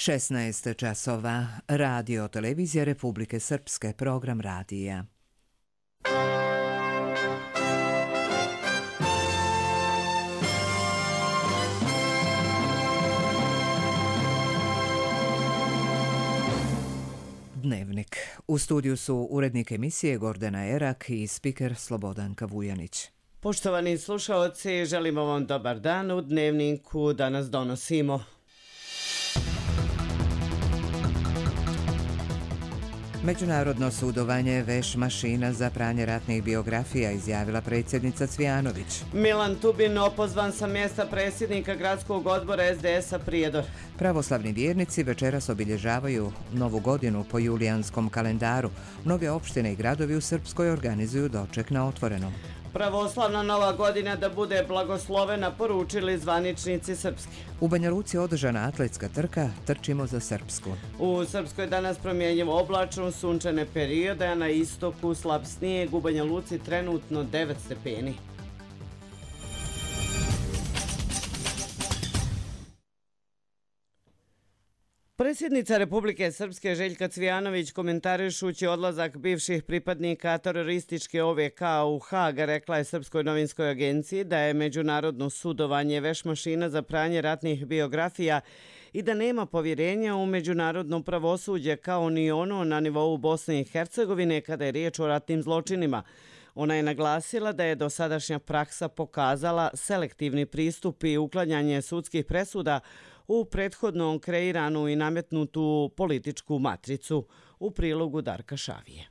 16 časova. Radio televizija Republike Srpske, program radija. Dnevnik. U studiju su urednik emisije Gordana Erak i spiker Slobodanka Vujanić. Poštovani slušaoci, želimo vam dobar dan. U Dnevniku danas donosimo: Međunarodno sudovanje veš mašina za pranje ratnih biografija, izjavila predsjednica Cvijanović. Milan Tubin opozvan sa mjesta predsjednika gradskog odbora SDS-a Prijedor. Pravoslavni vjernici večeras obilježavaju Novu godinu po julijanskom kalendaru. Mnoge opštine i gradovi u Srpskoj organizuju doček na otvorenom. Pravoslavna Nova godina da bude blagoslovena, poručili zvaničnici Srpske. U Banja Luci održana atletska trka Trčimo za Srpsku. U Srpskoj danas promjenjivo oblačno, sunčane periode, a na istoku slab snijeg. U Banja Luci trenutno 9 stepeni. Predsjednica Republike Srpske Željka Cvijanović, komentarišući odlazak bivših pripadnika terorističke OVK u Hag, rekla je Srpskoj novinskoj agenciji da je međunarodno sudovanje veš mašina za pranje ratnih biografija i da nema povjerenja u međunarodno pravosuđe kao ni ono na nivou Bosne i Hercegovine kada je riječ o ratnim zločinima. Ona je naglasila da je dosadašnja praksa pokazala selektivni pristup i uklanjanje sudskih presuda u prethodno kreiranu i nametnutu političku matricu. U prilogu Darka Šavije.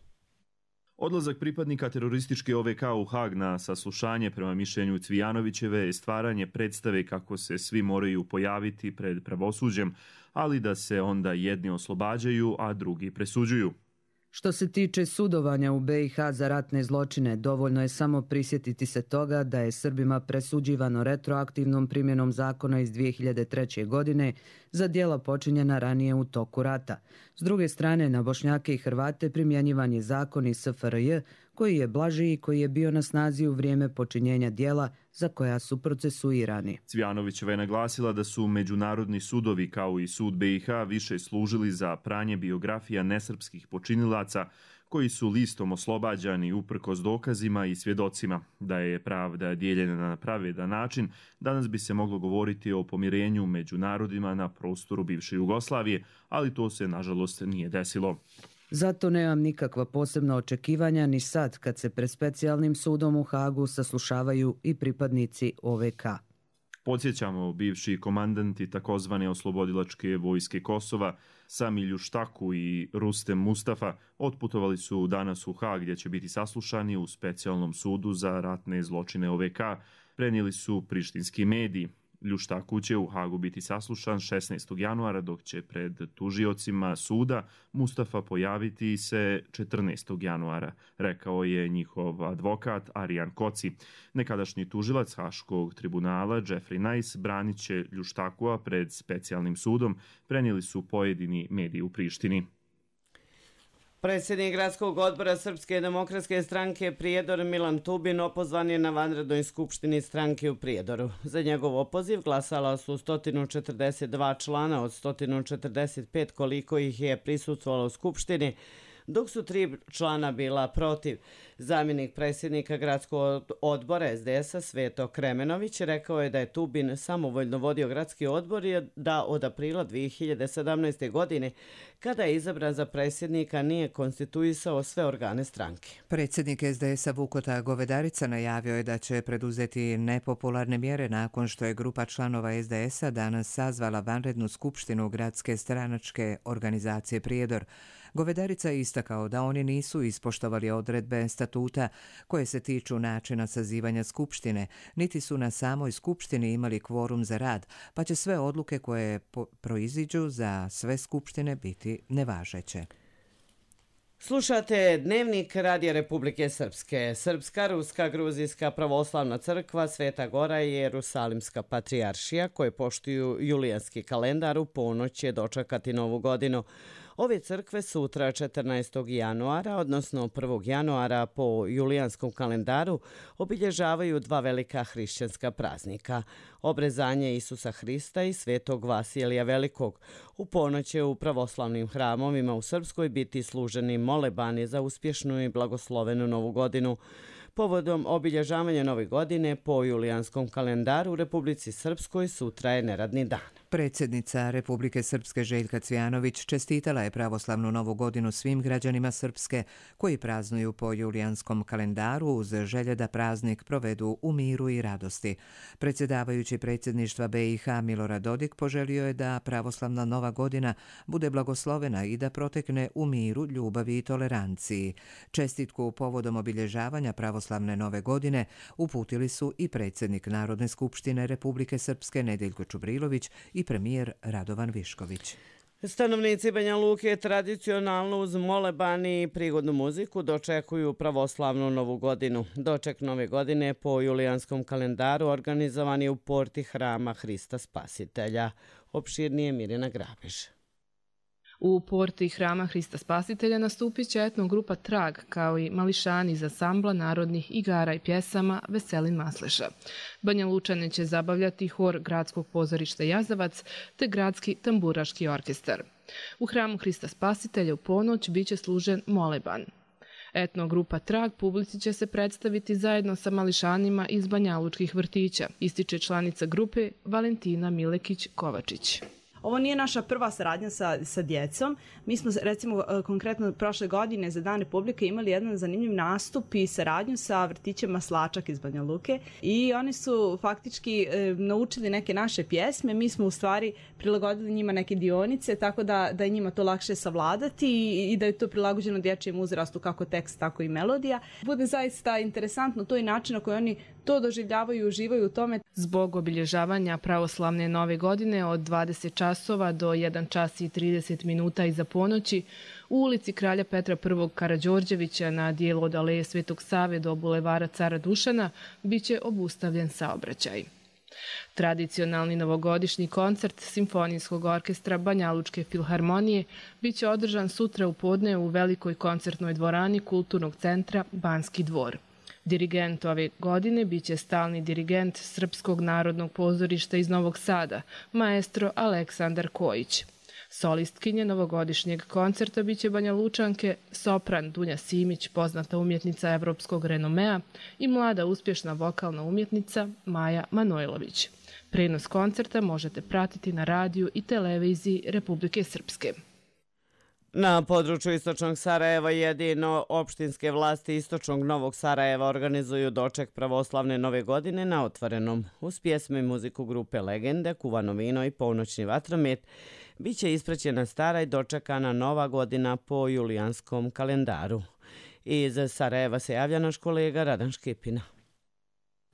Odlazak pripadnika terorističke OVK u Hag na saslušanje prema mišljenju Cvijanovićeve je stvaranje predstave kako se svi moraju pojaviti pred pravosuđem, ali da se onda jedni oslobađaju, a drugi presuđuju. Što se tiče sudovanja u BiH za ratne zločine, dovoljno je samo prisjetiti se toga da je Srbima presuđivano retroaktivnom primjenom zakona iz 2003. godine za djela počinjena ranije u toku rata. S druge strane, na Bošnjake i Hrvate primjenjivan je zakon iz SFRJ koji je blaži i koji je bio na snazi u vrijeme počinjenja djela za koja su procesuirani. Cvijanovićeva je naglasila da su međunarodni sudovi kao i sud BiH više služili za pranje biografija nesrpskih počinilaca koji su listom oslobađani uprkos dokazima i svjedocima. Da je pravda dijeljena na pravedan način, danas bi se moglo govoriti o pomirenju među narodima na prostoru bivše Jugoslavije, ali to se nažalost nije desilo. Zato nemam nikakva posebna očekivanja ni sad kad se pred specijalnim sudom u Hagu saslušavaju i pripadnici OVK. Podsjećamo, bivši komandanti takozvane oslobodilačke vojske Kosova, Sami Ljuštaku i Rustem Mustafa, otputovali su danas u Hag gdje će biti saslušani u specijalnom sudu za ratne zločine OVK, prenijeli su prištinski mediji. Ljuštaku će u Hagu biti saslušan 16. januara, dok će pred tužiocima suda Mustafa pojaviti se 14. januara, rekao je njihov advokat Arijan Koci. Nekadašnji tužilac Haškog tribunala Jeffrey Nice branit će Ljuštakua pred specijalnim sudom, prenijeli su pojedini mediji u Prištini. Predsjednik gradskog odbora Srpske demokratske stranke Prijedor Milan Tubin opozvan je na vanrednoj skupštini stranke u Prijedoru. Za njegov opoziv glasala su 142 člana od 145 koliko ih je prisustvovalo u skupštini, dok su 3 člana bila protiv. Zamjenik predsjednika gradskog odbora SDS-a Sveto Kremenović rekao je da je Tubin samovoljno vodio gradski odbor i da od aprila 2017. godine, kada je izabran za predsjednika, nije konstituisao sve organe stranke. Predsjednik SDS-a Vukota Govedarica najavio je da će preduzeti nepopularne mjere nakon što je grupa članova SDS-a danas sazvala vanrednu skupštinu gradske stranačke organizacije Prijedor. Govedarica je istakao da oni nisu ispoštovali odredbe statuta koje se tiču načina sazivanja skupštine, niti su na samoj skupštini imali kvorum za rad, pa će sve odluke koje proiziđu za sve skupštine biti nevažeće. Slušate Dnevnik Radija Republike Srpske. Srpska, Ruska, Gruzijska pravoslavna crkva, Sveta Gora i Jerusalimska patrijaršija koje poštuju julijanski kalendar u ponoć će dočekati Novu godinu. Ove crkve sutra 14. januara, odnosno 1. januara po julijanskom kalendaru, obilježavaju dva velika hrišćanska praznika. Obrezanje Isusa Hrista i svetog Vasilija Velikog. U ponoć će u pravoslavnim hramovima u Srpskoj biti služeni molebani za uspješnu i blagoslovenu novu godinu. Povodom obilježavanja nove godine po julijanskom kalendaru u Republici Srpskoj sutra je neradni dan. Predsjednica Republike Srpske Željka Cvijanović čestitala je pravoslavnu novu godinu svim građanima Srpske koji praznuju po julijanskom kalendaru uz želje da praznik provedu u miru i radosti. Predsjedavajući predsjedništva BiH Milorad Dodik poželio je da pravoslavna nova godina bude blagoslovena i da protekne u miru, ljubavi i toleranciji. Čestitku povodom obilježavanja pravoslavne nove godine uputili su i predsjednik Narodne skupštine Republike Srpske Nedeljko Čubrilović i premijer Radovan Višković. Stanovnici Banja Luke tradicionalno uz moleban i prigodnu muziku dočekuju pravoslavnu novu godinu. Doček nove godine po julijanskom kalendaru organizovan je u porti hrama Hrista Spasitelja. Opširnije Mirjana Grabež. U porti hrama Hrista Spasitelja nastupit će etnogrupa Trag, kao i mališani iz ansambla narodnih igara i pjesama Veselin Masleša. Banja Lučane će zabavljati hor Gradskog pozorišta Jazavac te Gradski tamburaški orkestar. U hramu Hrista Spasitelja u ponoć biće služen moleban. Etnogrupa Trag publici će se predstaviti zajedno sa mališanima iz banjalučkih vrtića, ističe članica grupe Valentina Milekić-Kovačić. Ovo nije naša prva saradnja sa djecom. Mi smo, recimo, konkretno prošle godine za Dan Republike imali jedan zanimljiv nastup i saradnju sa vrtićem Maslačak iz Banja Luke i oni su faktički naučili neke naše pjesme. Mi smo u stvari prilagodili njima neke dionice, tako da je njima to lakše savladati i da je to prilagođeno dječjem uzrastu, kako tekst, tako i melodija. Bude zaista interesantno to i način na koji oni to doživljavaju i uživaju u tome. Zbog obilježavanja pravoslavne nove godine od 20 časova do 1 čas i 30 minuta iza ponoći u ulici Kralja Petra I. Karađorđevića na dijelu od Aleje Svetog Save do bulevara Cara Dušana biće obustavljen saobraćaj. Tradicionalni novogodišnji koncert Simfonijskog orkestra Banjalučke filharmonije biće održan sutra u podne u velikoj koncertnoj dvorani Kulturnog centra Banski dvor. Dirigent ove godine biće stalni dirigent Srpskog narodnog pozorišta iz Novog Sada, maestro Aleksandar Kojić. Solistkinje novogodišnjeg koncerta biće Banja Lučanke, sopran Dunja Simić, poznata umjetnica evropskog renomea, i mlada uspješna vokalna umjetnica Maja Manojlović. Prenos koncerta možete pratiti na radiju i televiziji Republike Srpske. Na području Istočnog Sarajeva jedino opštinske vlasti Istočnog Novog Sarajeva organizuju doček pravoslavne nove godine na otvorenom. Uz pjesme i muziku grupe Legende, kuvano vino i ponoćni vatromet biće ispraćena stara i dočekana nova godina po julijanskom kalendaru. Iz Sarajeva se javlja naš kolega Radan Škipina.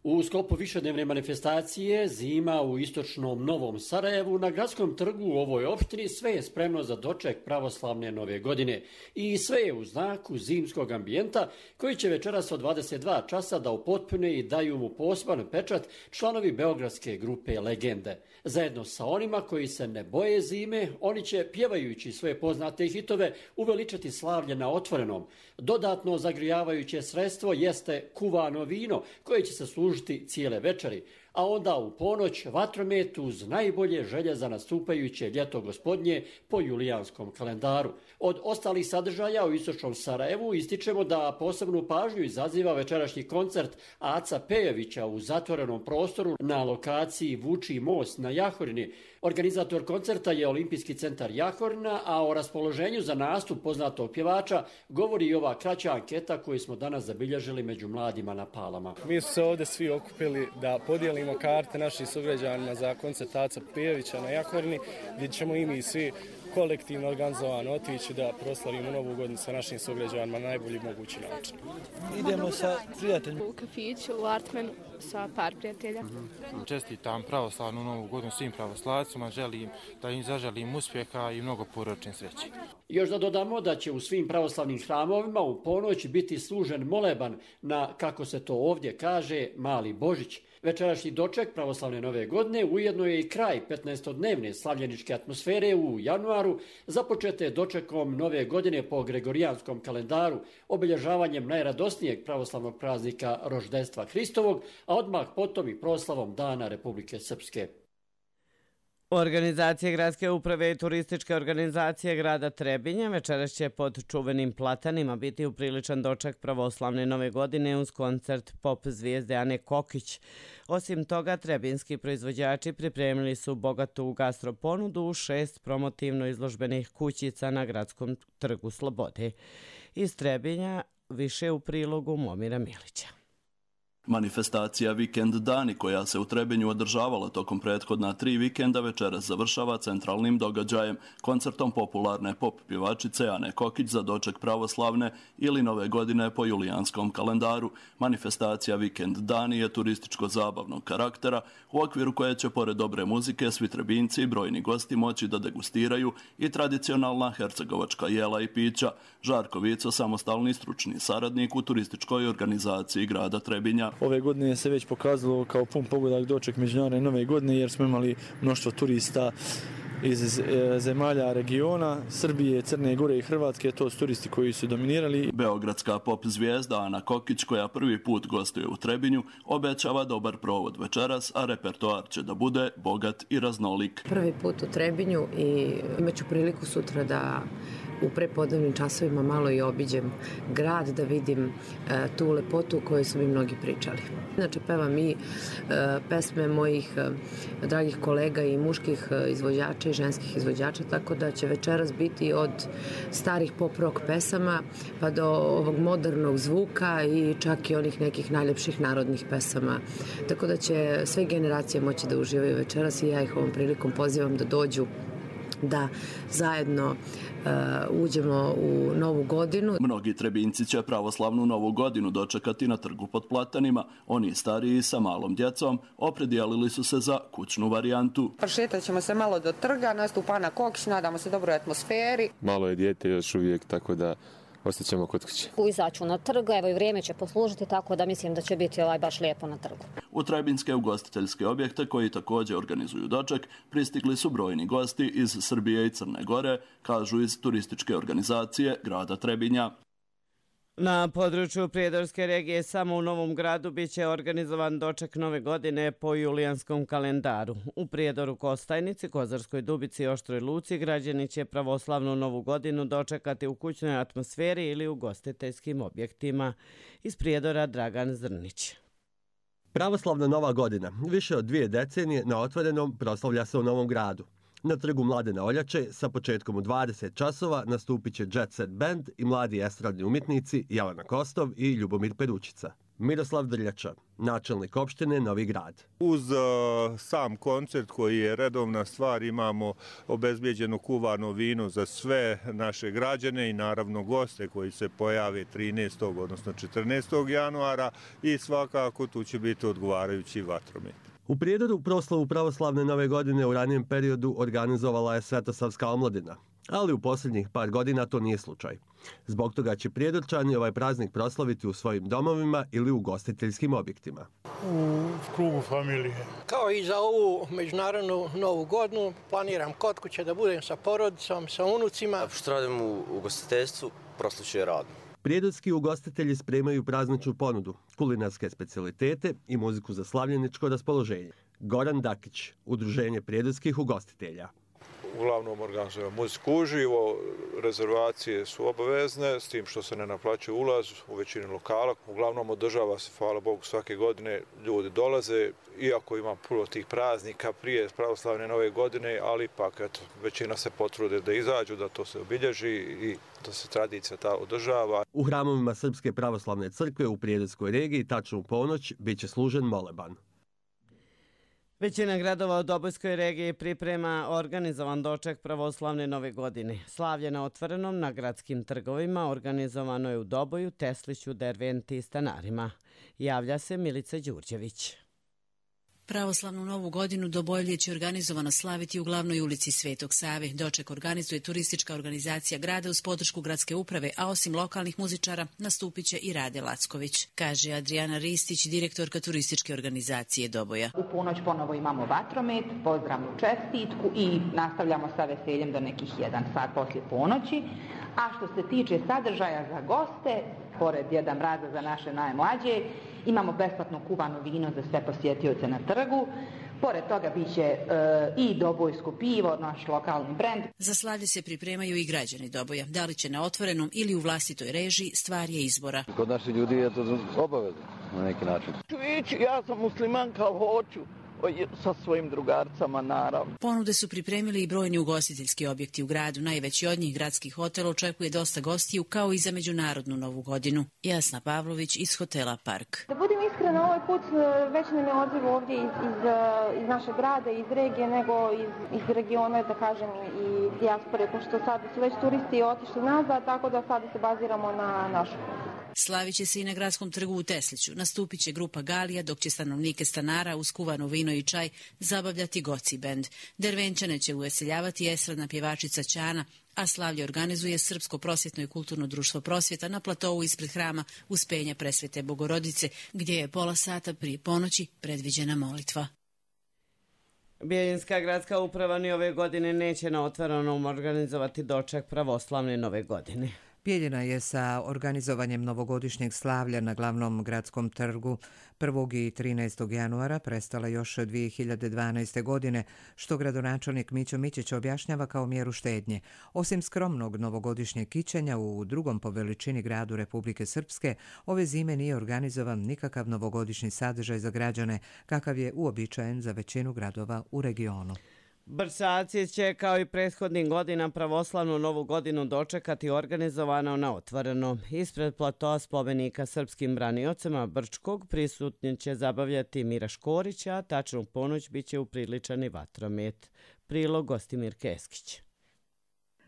U sklopu višednevne manifestacije Zima u istočnom Novom Sarajevu na gradskom trgu u ovoj opštini sve je spremno za doček pravoslavne nove godine i sve je u znaku zimskog ambijenta koji će večeras od 22 časa da upotpune i daju mu poseban pečat članovi beogradske grupe Legende. Zajedno sa onima koji se ne boje zime, oni će, pjevajući svoje poznate hitove, uveličati slavlje na otvorenom. Dodatno zagrijavajuće sredstvo jeste kuvano vino koje će se služiti cijele večeri, a onda u ponoć vatromet uz najbolje želje za nastupajuće ljeto gospodnje po julijanskom kalendaru. Od ostalih sadržaja u Istočnom Sarajevu ističemo da posebnu pažnju izaziva večerašnji koncert Aca Pejovića u zatvorenom prostoru na lokaciji Vučji most na Jahorini. Organizator koncerta je Olimpijski centar Jahorina, a o raspoloženju za nastup poznatog pjevača govori i ova kraća anketa koju smo danas zabilježili među mladima na Palama. Mi smo se ovdje svi okupili da podijelimo karte našim sugrađanima za koncert Aca Pejovića na Jahorini, gdje ćemo i mi svi kolektivno organizovano otići da proslavimo novu godinu sa našim sugrađanima na najbolji mogući način. Idemo sa prijateljima u kafiću, u Artmanu sa par prijatelja. Čestitam pravoslavnu novu godinu svim pravoslavcima, želim da im zaželim uspjeha i mnogo porodične sreće. Još da dodamo da će u svim pravoslavnim hramovima u ponoć biti služen moleban na, kako se to ovdje kaže, Mali Božić. Večerašnji doček pravoslavne nove godine ujedno je i kraj 15-dnevne slavljeničke atmosfere u januaru, započete dočekom nove godine po gregorijanskom kalendaru, obilježavanjem najradosnijeg pravoslavnog praznika Roždestva Hristovog, a odmah potom i proslavom Dana Republike Srpske. Organizacije gradske uprave i turističke organizacije grada Trebinja večeras će pod čuvenim platanima biti upriličan doček pravoslavne nove godine uz koncert pop zvijezde Ane Kokić. Osim toga, trebinski proizvođači pripremili su bogatu gastroponudu u 6 promotivno izložbenih kućica na Gradskom trgu Slobode. Iz Trebinja više u prilogu Momira Milića. Manifestacija Vikend dani, koja se u Trebinju održavala tokom prethodna 3 vikenda, večeras završava centralnim događajem, koncertom popularne pop pjevačice Ane Kokić za doček pravoslavne ili nove godine po julijanskom kalendaru. Manifestacija Vikend dani je turističko-zabavnog karaktera, u okviru koje će pored dobre muzike svi Trebinjci i brojni gosti moći da degustiraju i tradicionalna hercegovačka jela i pića. Žarko Vico, samostalni stručni saradnik u turističkoj organizaciji grada Trebinja. Ove godine se već pokazalo kao pun pogodak doček međunarodne nove godine jer smo imali mnoštvo turista iz zemalja regiona, Srbije, Crne Gore i Hrvatske, to su turisti koji su dominirali. Beogradska pop zvijezda Ana Kokić, koja prvi put gostuje u Trebinju, obećava dobar provod večeras, a repertoar će da bude bogat i raznolik. Prvi put u Trebinju i imaću priliku sutra da u prepodnevnim časovima malo i obiđem grad, da vidim tu lepotu o kojoj su mi mnogi pričali. Inače, pevam i pesme mojih dragih kolega i muških izvođača i ženskih izvođača, tako da će večeras biti od starih pop rock pesama pa do ovog modernog zvuka i čak i onih nekih najljepših narodnih pesama. Tako da će sve generacije moći da uživaju večeras i ja ih ovom prilikom pozivam da dođu, da zajedno uđemo u novu godinu. Mnogi Trebinjci će pravoslavnu novu godinu dočekati na trgu pod platanima. Oni stariji sa malom djecom opredijelili su se za kućnu varijantu. Prošetat ćemo se malo do trga, nastupa Ana Kokić, nadamo se dobroj atmosferi. Malo je dijete još uvijek, tako da ostaćemo kod kuće. Izaću na trg, evo i vrijeme će poslužiti, tako da mislim da će biti baš lijepo na trgu. U trebinjske ugostiteljske objekte, koji također organizuju doček, pristigli su brojni gosti iz Srbije i Crne Gore, kažu iz turističke organizacije grada Trebinja. Na području Prijedorske regije samo u Novom Gradu biće organizovan doček nove godine po julijanskom kalendaru. U Prijedoru, Kostajnici, Kozarskoj Dubici i Oštroj Luci građani će pravoslavnu novu godinu dočekati u kućnoj atmosferi ili u ugostiteljskim objektima. Iz Prijedora Dragan Zrnić. Pravoslavna nova godina, više od 2 decenije na otvorenom, proslavlja se u Novom Gradu. Na trgu Mladena Oljače sa početkom u 20 časova nastupit će Jet Set Band i mladi estradni umjetnici Jelena Kostov i Ljubomir Peručica. Miroslav Drljača, načelnik opštine Novi Grad. Uz sam koncert koji je redovna stvar, imamo obezbijeđeno kuvarno vino za sve naše građane i naravno goste koji se pojave 13. odnosno 14. januara i svakako tu će biti odgovarajući vatromet. U Prijedoru proslavu pravoslavne nove godine u ranijem periodu organizovala je Svetosavska omladina, ali u posljednjih par godina to nije slučaj. Zbog toga će Prijedorčani ovaj praznik proslaviti u svojim domovima ili u ugostiteljskim objektima. U krugu familije. Kao i za ovu međunarodnu novu godinu planiram kod kuće da budem sa porodicom, sa unucima. Što radim u ugostiteljstvu, proslavljujem radno. Prijedorski ugostitelji spremaju prazničnu ponudu, kulinarske specijalitete i muziku za slavljeničko raspoloženje. Goran Dakić, Udruženje prijedorskih ugostitelja. Uglavnom organizujemo muziku uživo, rezervacije su obavezne, s tim što se ne naplaćuje ulaz u većini lokala. Uglavnom održava se, hvala Bogu, svake godine ljudi dolaze, iako ima puno tih praznika prije pravoslavne nove godine, ali ipak eto, većina se potrude da izađu, da to se obilježi i da se tradicija ta održava. U hramovima Srpske pravoslavne crkve u Prijedorskoj regiji tačno u ponoć bit će služen moleban. Većina gradova u Dobojskoj regiji priprema organizovan doček pravoslavne nove godine. Slavlje na otvorenom na gradskim trgovima organizovano je u Doboju, Tesliću, Derventi i Stanarima. Javlja se Milica Đurđević. Pravoslavnu novu godinu Dobojlje će organizovano slaviti u glavnoj ulici Svetog Save. Doček organizuje turistička organizacija grada uz podršku gradske uprave, a osim lokalnih muzičara nastupit će i Rade Lacković, kaže Adriana Ristić, direktorka turističke organizacije Doboja. U ponoć ponovo imamo vatromet, pozdravnu čestitku i nastavljamo sa veseljem do nekih 1 sat poslije ponoći. A što se tiče sadržaja za goste, pored Djeda Mraza za naše najmlađe, imamo besplatno kuvano vino za sve posjetioce na trgu. Pored toga biće i dobojsko pivo, naš lokalni brend. Za slavlje se pripremaju i građani Doboja. Da li će na otvorenom ili u vlastitoj režiji, stvar je izbora. Kod naših ljudi je to obavezno na neki način. Ja sam muslimanka, hoću. Sa svojim drugarcama, naravno. Ponude su pripremili i brojni ugostiteljski objekti u gradu. Najveći od njih, gradski hotel, očekuje dosta gostiju, kao i za međunarodnu novu godinu. Jasna Pavlović iz hotela Park. Da budem iskrena, ovaj put već nam je odziv ovdje iz našeg grada, iz regije, nego iz regiona, da kažem, i dijaspore, pošto sad su već turisti otišli nazad, tako da sad se baziramo na našu. Slavit će se i na gradskom trgu u Tesliću. Nastupit će grupa Galija, dok će stanovnike stanara uz kuvano vino i čaj zabavljati Goci bend. Dervenčane će uveseljavati estradna pjevačica Ćana, a slavlje organizuje Srpsko prosvjetno i kulturno društvo Prosvjeta na platovu ispred hrama Uspenja Presvete Bogorodice, gdje je pola sata prije ponoći predviđena molitva. Bijeljinska gradska uprava ni ove godine neće na otvorenom organizovati doček pravoslavne nove godine. Bijeljina je sa organizovanjem novogodišnjeg slavlja na glavnom gradskom trgu 1. i 13. januara prestala još 2012. godine, što gradonačelnik Mićo Mićić objašnjava kao mjeru štednje. Osim skromnog novogodišnjeg kićenja u drugom po veličini gradu Republike Srpske, ove zime nije organizovan nikakav novogodišnji sadržaj za građane, kakav je uobičajen za većinu gradova u regionu. Brčaci će kao i prethodnih godina pravoslavnu novu godinu dočekati organizovano na otvoreno. Ispred platoa spomenika srpskim braniocima Brčkog prisutni će zabavljati Mira Škorića, a tačnu ponoć biće upriličan i vatromet. Prilog Gostimir Keskić.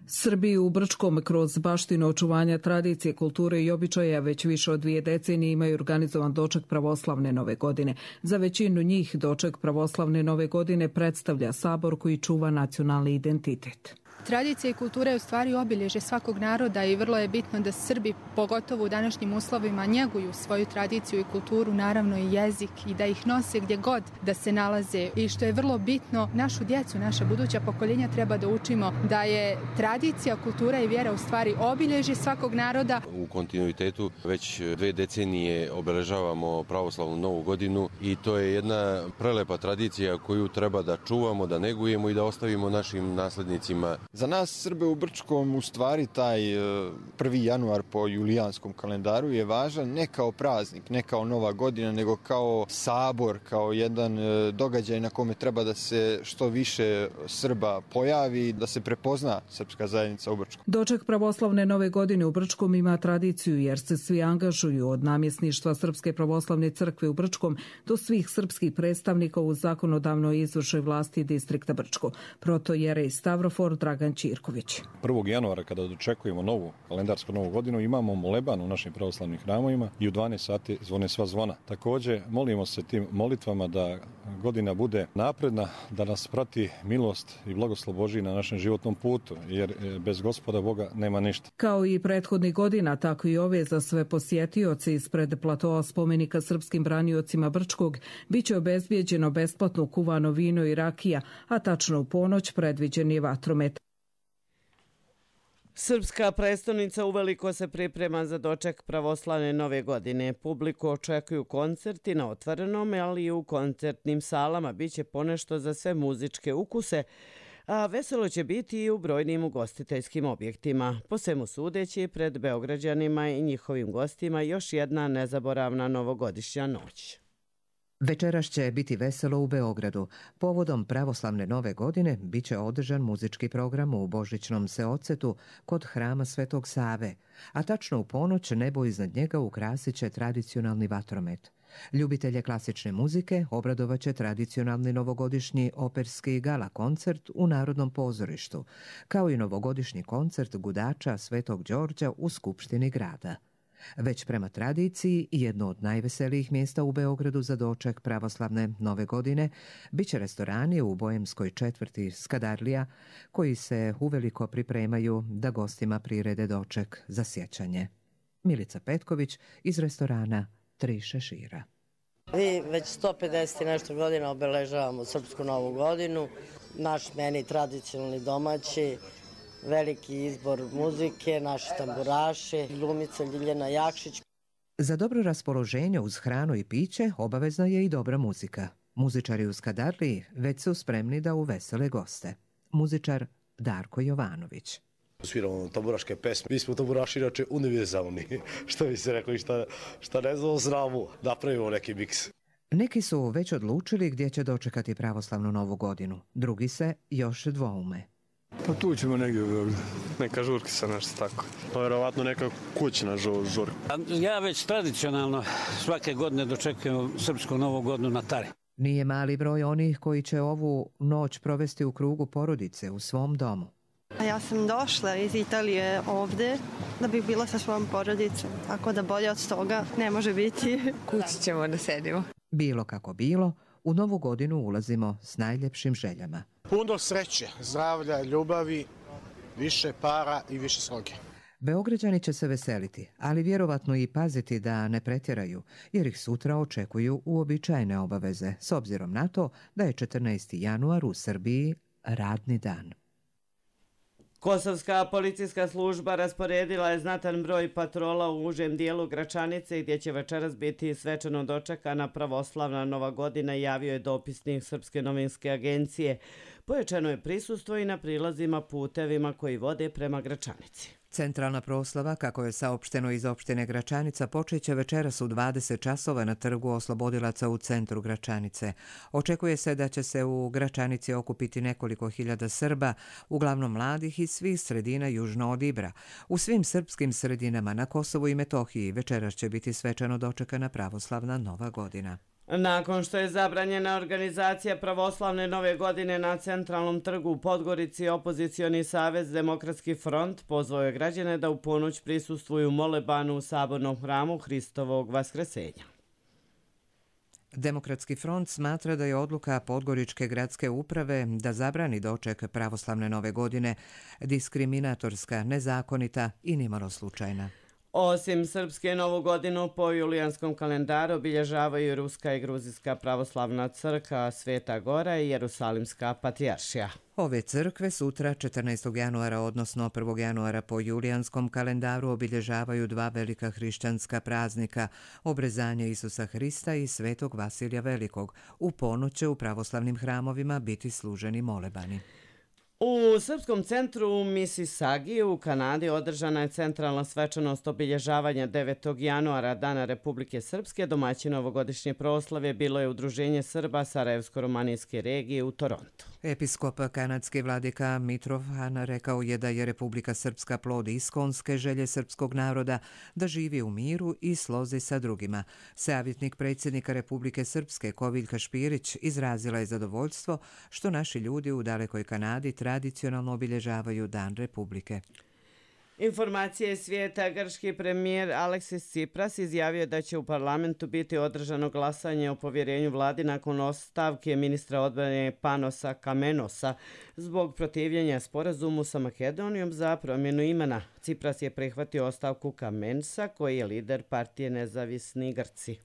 Srbiji u Brčkom kroz baštinu očuvanja tradicije, kulture i običaja već više od 2 decenije imaju organizovan doček pravoslavne nove godine. Za većinu njih doček pravoslavne nove godine predstavlja sabor koji čuva nacionalni identitet. Tradicija i kultura je u stvari obilježje svakog naroda i vrlo je bitno da Srbi, pogotovo u današnjim uslovima, njeguju svoju tradiciju i kulturu, naravno i jezik, i da ih nose gdje god da se nalaze. I što je vrlo bitno, našu djecu, naša buduća pokoljenja treba da učimo da je tradicija, kultura i vjera u stvari obilježje svakog naroda. U kontinuitetu već 2 decenije obeležavamo pravoslavnu novu godinu i to je jedna prelepa tradicija koju treba da čuvamo, da negujemo i da ostavimo našim naslednicima. Za nas Srbe u Brčkom u stvari taj 1. januar po julijanskom kalendaru je važan ne kao praznik, ne kao nova godina, nego kao sabor, kao jedan događaj na kome treba da se što više Srba pojavi, da se prepozna srpska zajednica u Brčkom. Doček pravoslavne nove godine u Brčkom ima tradiciju jer se svi angažuju od namjesništva Srpske pravoslavne crkve u Brčkom do svih srpskih predstavnika u zakonodavnoj i izvršnoj vlasti distrikta Brčko. Protojerej Stavrofor Dragan Ćirković. 1. januara kada dočekujemo novu kalendarsku novu godinu imamo moleban u našim pravoslavnim hramovima i u 12 sati zvone sva zvona. Također molimo se tim molitvama da godina bude napredna, da nas prati milost i blagoslov Božji na našem životnom putu, jer bez Gospoda Boga nema ništa. Kao i prethodnih godina, tako i ove za sve posjetioce ispred platoa spomenika srpskim braniocima Brčkog biće obezbijeđeno besplatno kuvano vino i rakija, a tačno u ponoć predviđen je vatromet. Srpska prestonica uveliko se priprema za doček pravoslavne nove godine. Publiku očekuju koncerti na otvorenom, ali i u koncertnim salama. Biće ponešto za sve muzičke ukuse, a veselo će biti i u brojnim ugostiteljskim objektima. Po svemu sudeći, pred Beograđanima i njihovim gostima još jedna nezaboravna novogodišnja noć. Večeras će biti veselo u Beogradu. Povodom pravoslavne nove godine bit će održan muzički program u Božićnom seocetu kod hrama Svetog Save, a tačno u ponoć nebo iznad njega ukrasit će tradicionalni vatromet. Ljubitelje klasične muzike obradovaće tradicionalni novogodišnji operski gala koncert u Narodnom pozorištu, kao i novogodišnji koncert gudača Svetog Đorđa u Skupštini grada. Već prema tradiciji, jedno od najveselijih mjesta u Beogradu za doček pravoslavne nove godine biće restorani u Bojemskoj četvrti Skadarlija, koji se uveliko pripremaju da gostima prirede doček za sjećanje. Milica Petković iz restorana Tri šešira. Mi već 150 i nešto godina obeležavamo Srpsku novu godinu. Naš meni tradicionalni domaći, veliki izbor muzike, naši tamburaši, glumica Ljiljana Jakšić. Za dobro raspoloženje uz hranu i piće obavezna je i dobra muzika. Muzičari u Skadarliji već su spremni da uvesele goste. Muzičar Darko Jovanović. Sviramo tamburaške pesme. Mi smo tamburaši inače univerzalni. Što bi se rekli, šta ne znamo, napravimo neki miks. Neki su već odlučili gdje će dočekati pravoslavnu novu godinu. Drugi se još dvoume. Pa tu ćemo negdje u Beogradu. Neka žurkica, nešto tako. Pa vjerovatno neka kućna žurka. Ja već tradicionalno svake godine dočekujem Srpsku novu godinu na Tari. Nije mali broj onih koji će ovu noć provesti u krugu porodice u svom domu. A ja sam došla iz Italije ovdje da bih bila sa svojom porodicom, tako da bolje od toga ne može biti. Kući ćemo da sedimo. Bilo kako bilo, u novu godinu ulazimo s najljepšim željama. Puno sreće, zdravlja, ljubavi, više para i više sloge. Beograđani će se veseliti, ali vjerovatno i paziti da ne pretjeraju, jer ih sutra očekuju uobičajene obaveze, s obzirom na to da je 14. januar u Srbiji radni dan. Kosovska policijska služba rasporedila je znatan broj patrola u užem dijelu Gračanice gdje će večeras biti svečano dočekana pravoslavna nova godina, javio je dopisnik Srpske novinske agencije. Pojačano je prisustvo i na prilazima putevima koji vode prema Gračanici. Centralna proslava, kako je saopšteno iz opštine Gračanica, počeće večeras u 20 časova na trgu Oslobodilaca u centru Gračanice. Očekuje se da će se u Gračanici okupiti nekoliko hiljada Srba, uglavnom mladih iz svih sredina južno od Ibra. U svim srpskim sredinama na Kosovu i Metohiji večeras će biti svečano dočekana pravoslavna nova godina. Nakon što je zabranjena organizacija pravoslavne nove godine na centralnom trgu u Podgorici, opozicioni savez Demokratski front pozvao je građane da u ponoć prisustvuju molebanu u sabornom hramu Hristovog Vaskresenja. Demokratski front smatra da je odluka Podgoričke gradske uprave da zabrani doček pravoslavne nove godine diskriminatorska, nezakonita i nimalo slučajna. Osim Srpske novu godinu po julijanskom kalendaru obilježavaju Ruska i Gruzijska pravoslavna crkva, Sveta Gora i Jerusalimska patrijaršija. Ove crkve sutra 14. januara, odnosno 1. januara po julijanskom kalendaru obilježavaju dva velika hrišćanska praznika, obrezanje Isusa Hrista i Svetog Vasilija Velikog. U ponoć će u pravoslavnim hramovima biti služeni molebani. U Srpskom centru u Mississaugi u Kanadi održana je centralna svečanost obilježavanja 9. januara, Dana Republike Srpske. Domaćin ovogodišnje proslave bilo je Udruženje Srba Sarajevsko-romanijske regije u Torontu. Episkop kanadski vladika Mitrovan rekao je da je Republika Srpska plod iskonske želje srpskog naroda da živi u miru i slozi sa drugima. Savjetnik predsjednika Republike Srpske Koviljka Špirić izrazila je zadovoljstvo što naši ljudi u dalekoj Kanadi tradicionalno obilježavaju Dan Republike. Informacije svijeta. Grčki premijer Aleksis Tsipras izjavio da će u parlamentu biti održano glasanje o povjerenju vladi nakon ostavke ministra odbrane Panosa Kamenosa zbog protivljenja sporazumu sa Makedonijom za promjenu imena. Tsipras je prihvatio ostavku Kamensa, koji je lider partije Nezavisni Grci.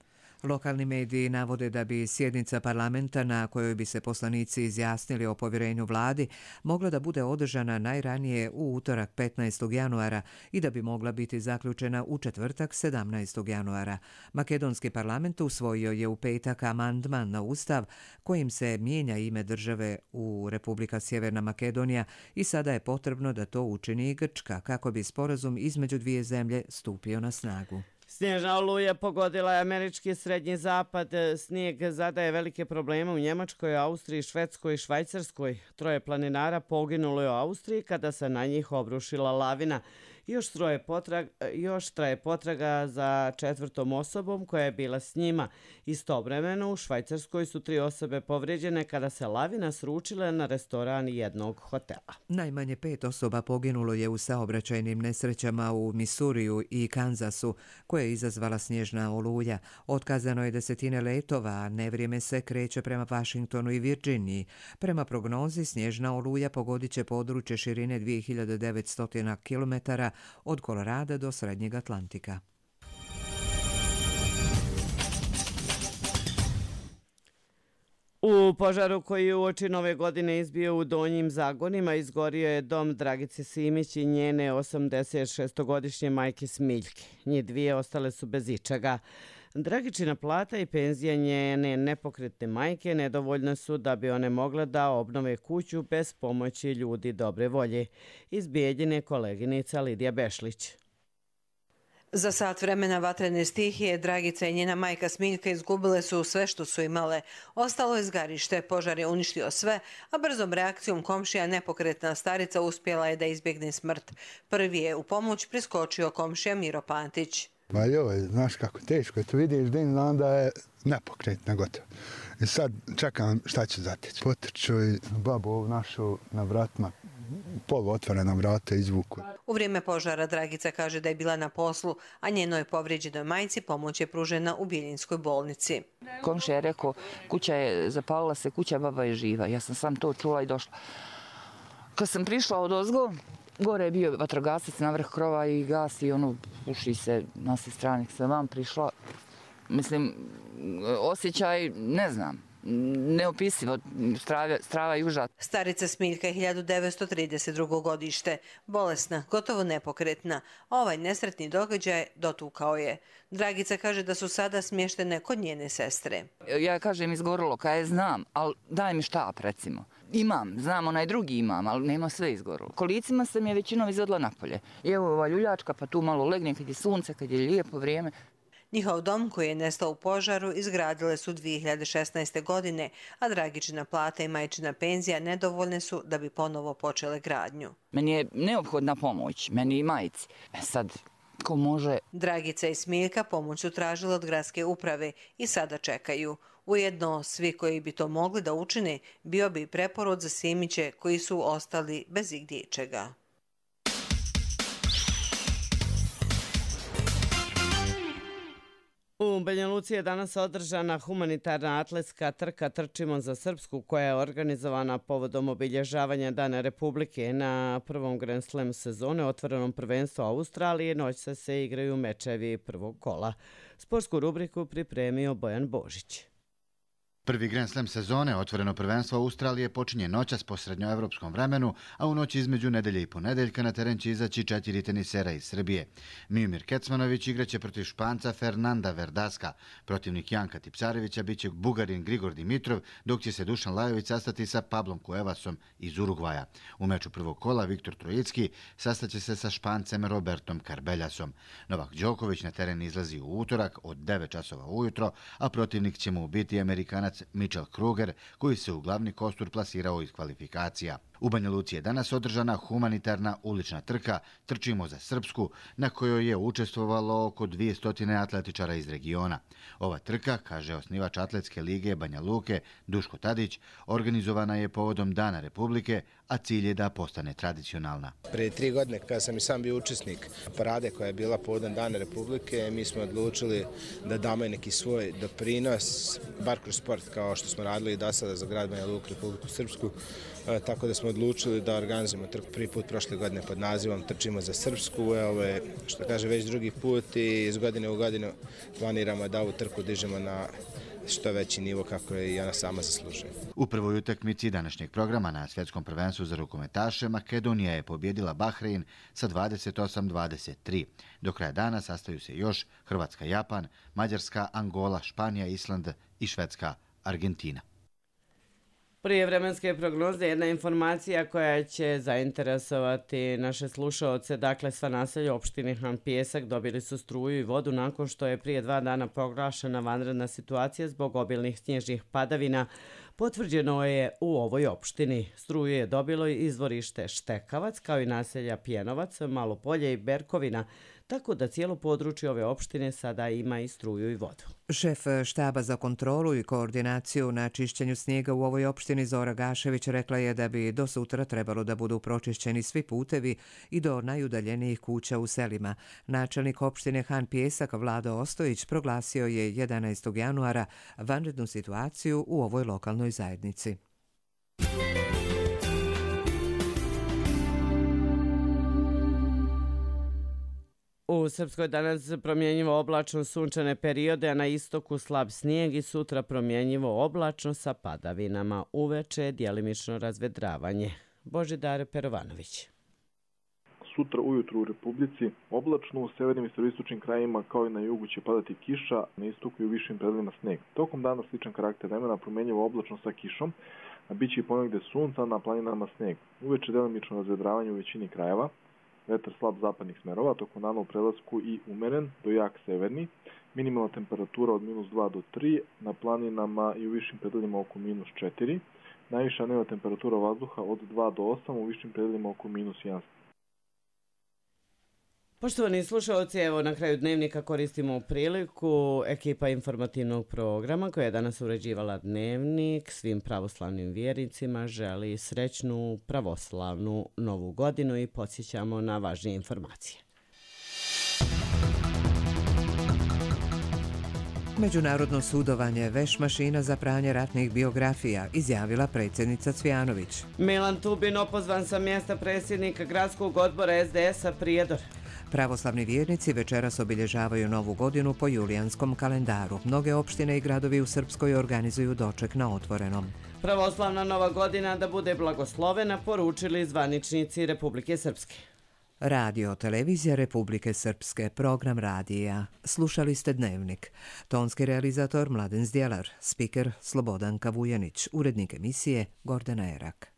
Lokalni mediji navode da bi sjednica parlamenta na kojoj bi se poslanici izjasnili o povjerenju vladi mogla da bude održana najranije u utorak 15. januara i da bi mogla biti zaključena u četvrtak 17. januara. Makedonski parlament usvojio je u petak amandman na ustav kojim se mijenja ime države u Republika Sjeverna Makedonija i sada je potrebno da to učini i Grčka kako bi sporazum između dvije zemlje stupio na snagu. Snježna oluja pogodila je američki srednji zapad. Snijeg zadaje velike probleme u Njemačkoj, Austriji, Švedskoj i Švajcarskoj. 3 planinara poginulo je u Austriji kada se na njih obrušila lavina. Još traje potraga za 4. osobom koja je bila s njima. Istovremeno u Švajcarskoj su 3 osobe povrijeđene kada se lavina sručila na restoran jednog hotela. Najmanje 5 osoba poginulo je u saobraćajnim nesrećama u Misuriju i Kanzasu, koje je izazvala snježna oluja. Otkazano je desetine letova, a nevrijeme se kreće prema Washingtonu i Virginiji. Prema prognozi, snježna oluja pogodit će područje širine 2900 km od Kolorada do Srednjeg Atlantika. U požaru koji je uoči Nove godine izbio u Donjim Zagonima izgorio je dom Dragice Simić i njene 86-godišnje majke Smiljke. Njih dvije ostale su bez ičega. Dragičina plata i penzija njene nepokretne majke nedovoljne su da bi one mogle da obnove kuću bez pomoći ljudi dobre volje. Iz Bijeljine koleginica Lidija Bešlić. Za sat vremena vatrene stihije Dragica i njena majka Smiljka izgubile su sve što su imale. Ostalo je zgarište, požar je uništio sve, a brzom reakcijom komšija nepokretna starica uspjela je da izbjegne smrt. Prvi je u pomoć priskočio komšija Miro Pantić. Ma joj, znaš kako teško je, to vidiš din, znam da je nepokretna gotovo. I sad čekam šta će zateći. Potrču i babu ovu našu na vratima, poluotvorena vrata izvuku. U vrijeme požara Dragica kaže da je bila na poslu, a njenoj povrijeđenoj majci pomoć je pružena u Bijeljinskoj bolnici. Komšija je rekao, kuća je zapalila se, kuća, baba je živa. Ja sam sam to čula i došla. Kad sam prišla odozgo, gore je bio vatrogasac na vrh krova i gasi, puši se na sve strane. Kad sam vam prišla, mislim, osjećaj, ne znam, neopisivo, strava i užas. Starica Smiljka je 1932. godište, bolesna, gotovo nepokretna. Ovaj nesretni događaj dotukao je. Dragica kaže da su sada smještene kod njene sestre. Ja kažem izgorilo, kaj znam, ali daj mi štap recimo. Imam, znam, onaj drugi imam, ali nema sve izgorilo. Kolicima sam je većinom izodla napolje. I evo ova ljuljačka, pa tu malo legne kad je sunce, kad je lijepo vrijeme. Njihov dom koji je nestao u požaru izgradile su 2016. godine, a Dragičina plata i majčina penzija nedovoljne su da bi ponovo počele gradnju. Meni je neophodna pomoć, meni i majci. Sad, ko može? Dragica i Smiljka pomoć su tražile od gradske uprave i sada čekaju. Ujedno, svi koji bi to mogli da učine, bio bi preporod za Simiće koji su ostali bez igdje čega. U Banja Luci je danas održana humanitarna atletska trka Trčimo za Srpsku koja je organizovana povodom obilježavanja Dana Republike. Na prvom Grand Slam sezone otvorenom prvenstvu Australije noć se igraju mečevi prvog kola. Sportsku rubriku pripremio Bojan Božić. Prvi Grand Slam sezone, otvoreno prvenstvo Australije, počinje noćas po srednjoevropskom vremenu, a u noći između nedelje i ponedeljka na teren će izaći 4 tenisera iz Srbije. Mijomir Kecmanović igraće protiv Španca Fernanda Verdaska. Protivnik Janka Tipsarevića biće Bugarin Grigor Dimitrov, dok će se Dušan Lajović sastati sa Pablom Cuevasom iz Urugvaja. U meču prvog kola Viktor Trojicki sastaće se sa Špancem Robertom Carbeljasom. Novak Đoković na teren izlazi u utorak od 9 časova ujutro, a protivnik će mu biti Amerikanac Mitchell Kruger, koji se u glavni kostur plasirao iz kvalifikacija. U Banja Luci je danas održana humanitarna ulična trka Trčimo za Srpsku, na kojoj je učestvovalo oko 200 atletičara iz regiona. Ova trka, kaže osnivač Atletske lige Banja Luke Duško Tadić, organizovana je povodom Dana Republike, a cilj je da postane tradicionalna. Prije 3 godine, kada sam i sam bio učesnik parade koja je bila povodom Dana Republike, mi smo odlučili da damo neki svoj doprinos, bar kroz sport, kao što smo radili i do sada za grad Banja Luku, Republiku Srpsku. Tako da smo odlučili da organizujemo trku prvi put prošle godine pod nazivom Trčimo za Srpsku. Ovo je, što kaže, već drugi put i iz godine u godinu planiramo da ovu trku dižemo na što veći nivo kako je i ona sama zaslužuje. U prvoj utakmici današnjeg programa na svjetskom prvenstvu za rukometaše Makedonija je pobjedila Bahrein sa 28-23. Do kraja dana sastaju se još Hrvatska, Japan, Mađarska, Angola, Španija, Island i Švedska, Argentina. Prije vremenske prognoze jedna informacija koja će zainteresovati naše slušaoce. Dakle, sva naselja opštine Han Pijesak dobili su struju i vodu nakon što je prije 2 dana proglašena vanredna situacija zbog obilnih snježnih padavina. potvrđeno je u ovoj opštini. Struju je dobilo izvorište Štekavac, kao i naselja Pjenovac, Malopolje i Berkovina, tako da cijelo područje ove opštine sada ima i struju i vodu. Šef štaba za kontrolu i koordinaciju na čišćenju snijega u ovoj opštini Zora Gašević rekla je da bi do sutra trebalo da budu pročišćeni svi putevi i do najudaljenijih kuća u selima. Načelnik opštine Han Pjesak Vlado Ostojić proglasio je 11. januara vanrednu situaciju u ovoj lokalnoj zajednici. U Srpskoj danas promjenjivo oblačno sunčane periode, a na istoku slab snijeg i sutra promjenjivo oblačno sa padavinama. Uveče djelimično razvedravanje. Božidar Perovanović. Sutra ujutru u Republici oblačno, u severnim i sjeveroistočnim krajevima kao i na jugu će padati kiša, na istoku i u višim predelima sneg. Tokom dana sličan karakter vremena, promjenjivo oblačno sa kišom, a bit će i ponegde sunca, na planinama sneg. Uveče djelimično razvedravanje u većini krajeva. Vetar slab zapadnih smerova, tokom dana u prelasku i umeren do jak severni. Minimalna temperatura od -2 do 3, na planinama i u višim predelima oko -4. Najviša dnevna temperatura vazduha od 2 do 8, u višim predelima oko -1. Poštovani slušalci, evo na kraju dnevnika koristimo priliku. Ekipa informativnog programa koja je danas uređivala dnevnik svim pravoslavnim vjernicima želi srećnu pravoslavnu novu godinu i podsjećamo na važnije informacije. Međunarodno sudovanje, veš mašina za pranje ratnih biografija, izjavila predsjednica Cvijanović. Milan Tubin opozvan sa mjesta predsjednika gradskog odbora SDS-a Prijedor. Pravoslavni vjernici večeras obilježavaju novu godinu po julijanskom kalendaru. Mnoge opštine i gradovi u Srpskoj organizuju doček na otvorenom. Pravoslavna nova godina da bude blagoslovena, poručili zvaničnici Republike Srpske. Radio televizija Republike Srpske, program radija. Slušali ste dnevnik. Tonski realizator Mladen Zdjelar, spiker Slobodanka Vujanić, urednik emisije Gordana Erak.